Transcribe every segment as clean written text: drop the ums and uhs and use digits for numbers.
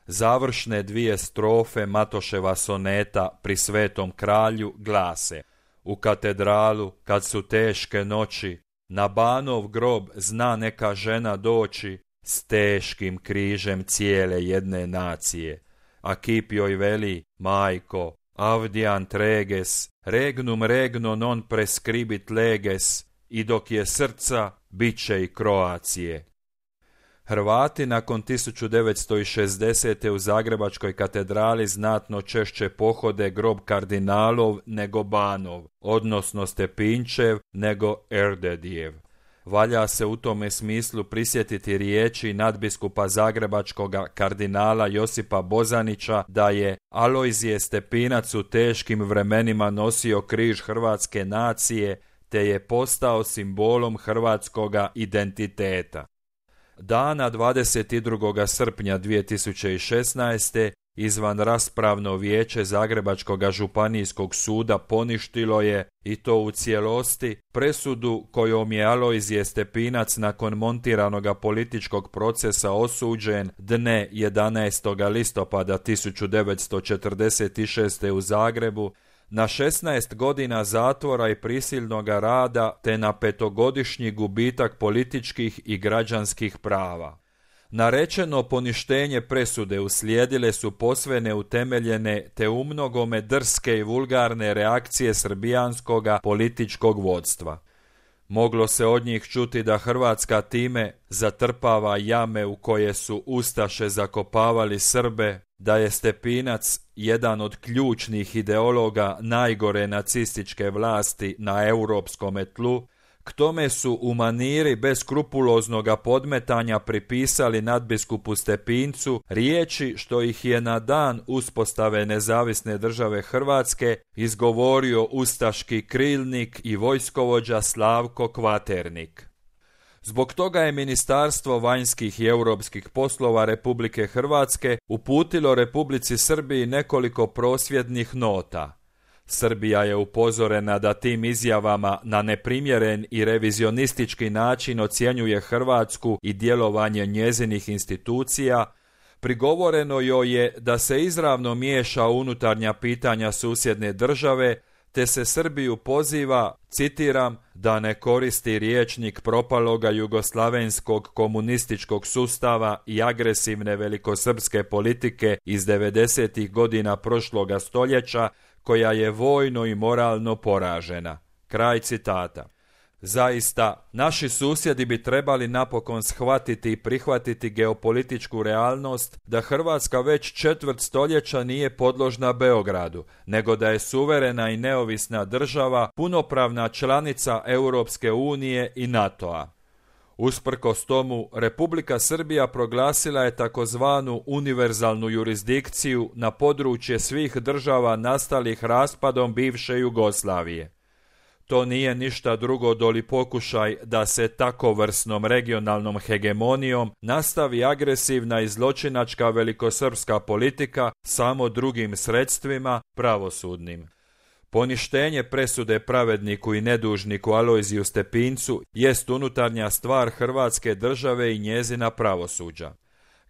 Završne dvije strofe Matoševa soneta Pri svetom kralju glase: u katedralu kad su teške noći, na Banov grob zna neka žena doći s teškim križem cijele jedne nacije. A kip joj veli: majko, avdian treges, regnum regno non prescribit leges, i dok je srca, bit će i Kroacije. Hrvati nakon 1960. u Zagrebačkoj katedrali znatno češće pohode grob kardinalov nego Banov, odnosno Stepinčev nego Erdedijev. Valja se u tome smislu prisjetiti riječi nadbiskupa zagrebačkoga kardinala Josipa Bozanića da je Alojzije Stepinac u teškim vremenima nosio križ hrvatske nacije te je postao simbolom hrvatskoga identiteta. Dana 22. srpnja 2016. izvan raspravno vijeće Zagrebačkog županijskog suda poništilo je, i to u cijelosti, presudu kojom je Alojzije Stepinac nakon montiranoga političkog procesa osuđen dne 11. listopada 1946. u Zagrebu na 16 godina zatvora i prisilnog rada te na 5-godišnji gubitak političkih i građanskih prava. Narečeno poništenje presude uslijedile su posve neutemeljene te umnogome drske i vulgarne reakcije srbijanskoga političkog vodstva. Moglo se od njih čuti da Hrvatska time zatrpava jame u koje su ustaše zakopavali Srbe, da je Stepinac jedan od ključnih ideologa najgore nacističke vlasti na europskom tlu. K tome su u maniri beskrupuloznoga podmetanja pripisali nadbiskupu Stepincu riječi što ih je na dan uspostave nezavisne države Hrvatske izgovorio ustaški krilnik i vojskovođa Slavko Kvaternik. Zbog toga je Ministarstvo vanjskih i europskih poslova Republike Hrvatske uputilo Republici Srbiji nekoliko prosvjednih nota. Srbija je upozorena da tim izjavama na neprimjeren i revizionistički način ocjenjuje Hrvatsku i djelovanje njezinih institucija. Prigovoreno joj je da se izravno miješa u unutarnja pitanja susjedne države, te se Srbiju poziva, citiram, da ne koristi rječnik propaloga jugoslavenskog komunističkog sustava i agresivne velikosrpske politike iz 90. godina prošloga stoljeća, koja je vojno i moralno poražena. Kraj citata. Zaista, naši susjedi bi trebali napokon shvatiti i prihvatiti geopolitičku realnost da Hrvatska već 1/4 stoljeća nije podložna Beogradu, nego da je suverena i neovisna država, punopravna članica Europske unije i NATO-a. Usprkos tomu, Republika Srbija proglasila je takozvanu univerzalnu jurisdikciju na područje svih država nastalih raspadom bivše Jugoslavije. To nije ništa drugo doli pokušaj da se takovrsnom regionalnom hegemonijom nastavi agresivna i zločinačka velikosrpska politika samo drugim sredstvima, pravosudnim. Poništenje presude pravedniku i nedužniku Alojziju Stepincu jest unutarnja stvar Hrvatske države i njezina pravosuđa.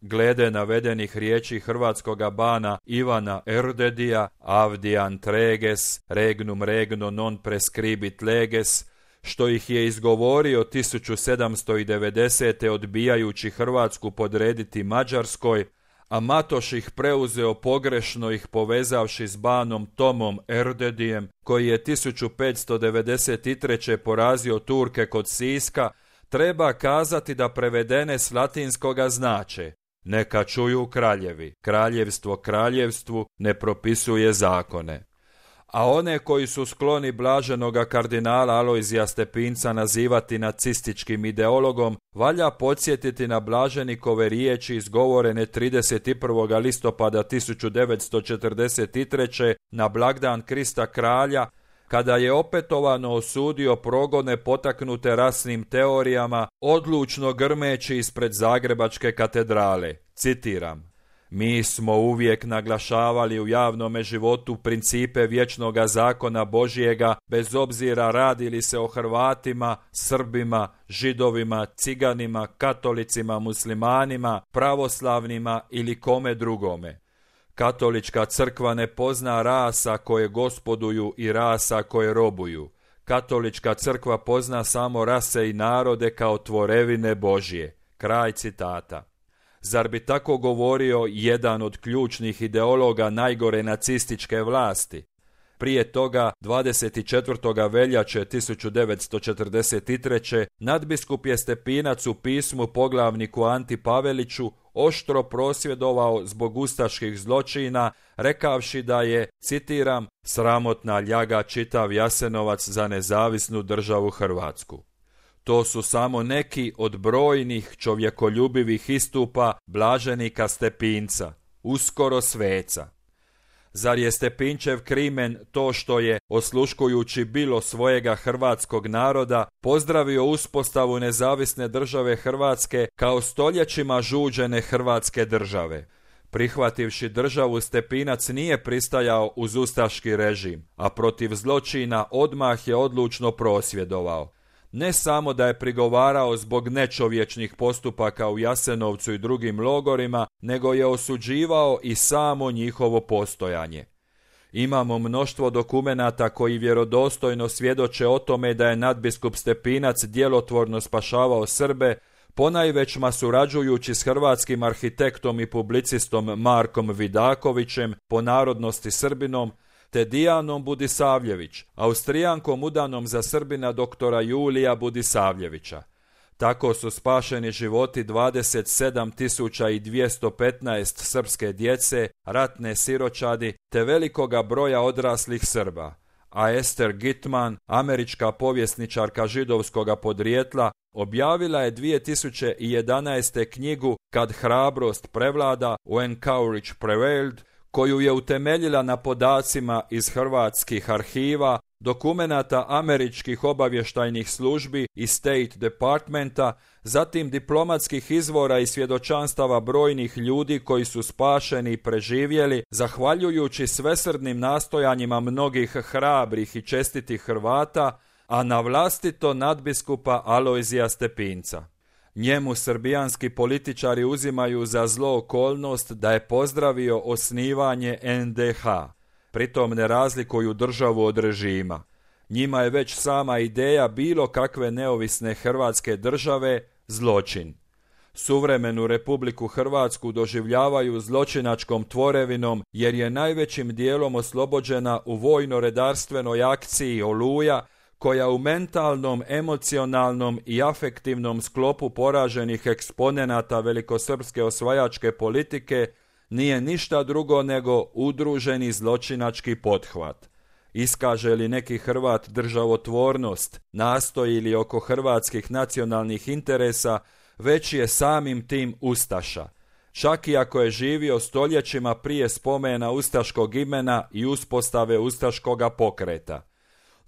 Glede navedenih riječi hrvatskoga bana Ivana Erdedija, avdian treges, regnum regno non prescribit leges, što ih je izgovorio 1790. odbijajući Hrvatsku podrediti Mađarskoj, a Matoš ih preuzeo pogrešno ih povezavši s banom Tomom Erdedijem, koji je 1593. porazio Turke kod Siska, treba kazati da prevedene s latinskoga znače: neka čuju kraljevi, kraljevstvo kraljevstvu ne propisuje zakone. A one koji su skloni blaženoga kardinala Alojzija Stepinca nazivati nacističkim ideologom, valja podsjetiti na blaženikove riječi izgovorene 31. listopada 1943. na blagdan Krista kralja, kada je opetovano osudio progone potaknute rasnim teorijama, odlučno grmeći ispred Zagrebačke katedrale. Citiram: Mi smo uvijek naglašavali u javnome životu principe vječnoga zakona Božjega, bez obzira radi li se o Hrvatima, Srbima, Židovima, Ciganima, Katolicima, Muslimanima, pravoslavnima ili kome drugome. Katolička crkva ne pozna rasa koje gospoduju i rasa koje robuju. Katolička crkva pozna samo rase i narode kao tvorevine Božje. Kraj citata. Zar bi tako govorio jedan od ključnih ideologa najgore nacističke vlasti? Prije toga, 24. veljače 1943. nadbiskup je Stepinac u pismu poglavniku Anti Paveliću oštro prosvjedovao zbog ustaških zločina, rekavši da je, citiram, sramotna ljaga čitav Jasenovac za nezavisnu državu Hrvatsku. To su samo neki od brojnih čovjekoljubivih istupa blaženika Stepinca, uskoro sveca. Zar je Stepinčev krimen to što je, osluškujući bilo svojega hrvatskog naroda, pozdravio uspostavu nezavisne države Hrvatske kao stoljećima žuđene Hrvatske države? Prihvativši državu, Stepinac nije pristajao uz ustaški režim, a protiv zločina odmah je odlučno prosvjedovao. Ne samo da je prigovarao zbog nečovječnih postupaka u Jasenovcu i drugim logorima, nego je osuđivao i samo njihovo postojanje. Imamo mnoštvo dokumenata koji vjerodostojno svjedoče o tome da je nadbiskup Stepinac djelotvorno spašavao Srbe, ponajvećma surađujući s hrvatskim arhitektom i publicistom Markom Vidakovićem, po narodnosti Srbinom, te Dijanom Budisavljević, Austrijankom udanom za Srbina doktora Julija Budisavljevića. Tako su spašeni životi 27.215 srpske djece, ratne siročadi, te velikoga broja odraslih Srba. A Ester Gitman, američka povjesničarka židovskoga podrijetla, objavila je 2011. knjigu Kad hrabrost prevlada, When Courage Prevailed, koju je utemeljila na podacima iz hrvatskih arhiva, dokumenata američkih obavještajnih službi i State Departmenta, zatim diplomatskih izvora i svjedočanstava brojnih ljudi koji su spašeni i preživjeli zahvaljujući svesrdnim nastojanjima mnogih hrabrih i čestitih Hrvata, a na vlastito nadbiskupa Alojzija Stepinca. Njemu srbijanski političari uzimaju za zlo okolnost da je pozdravio osnivanje NDH. Pritom ne razlikuju državu od režima. Njima je već sama ideja bilo kakve neovisne hrvatske države zločin. Suvremenu Republiku Hrvatsku doživljavaju zločinačkom tvorevinom jer je najvećim dijelom oslobođena u vojno-redarstvenoj akciji Oluja, koja u mentalnom, emocionalnom i afektivnom sklopu poraženih eksponenata velikosrpske osvajačke politike nije ništa drugo nego udruženi zločinački pothvat. Iskaže li neki Hrvat državotvornost, nastoji li oko hrvatskih nacionalnih interesa, već je samim tim ustaša. Čak i ako je živio stoljećima prije spomena ustaškog imena i uspostave ustaškoga pokreta.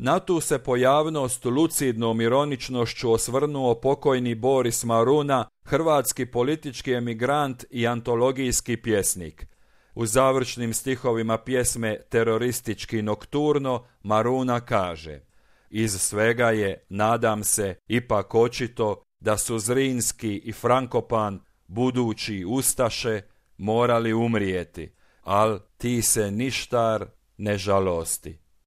Na tu se pojavnost lucidnom ironičnošću osvrnuo pokojni Boris Maruna, hrvatski politički emigrant i antologijski pjesnik. U završnim stihovima pjesme Teroristički nokturno Maruna kaže: iz svega je, nadam se, ipak očito da su Zrinski i Frankopan, budući ustaše, morali umrijeti, al ti se ništar ne žalosti.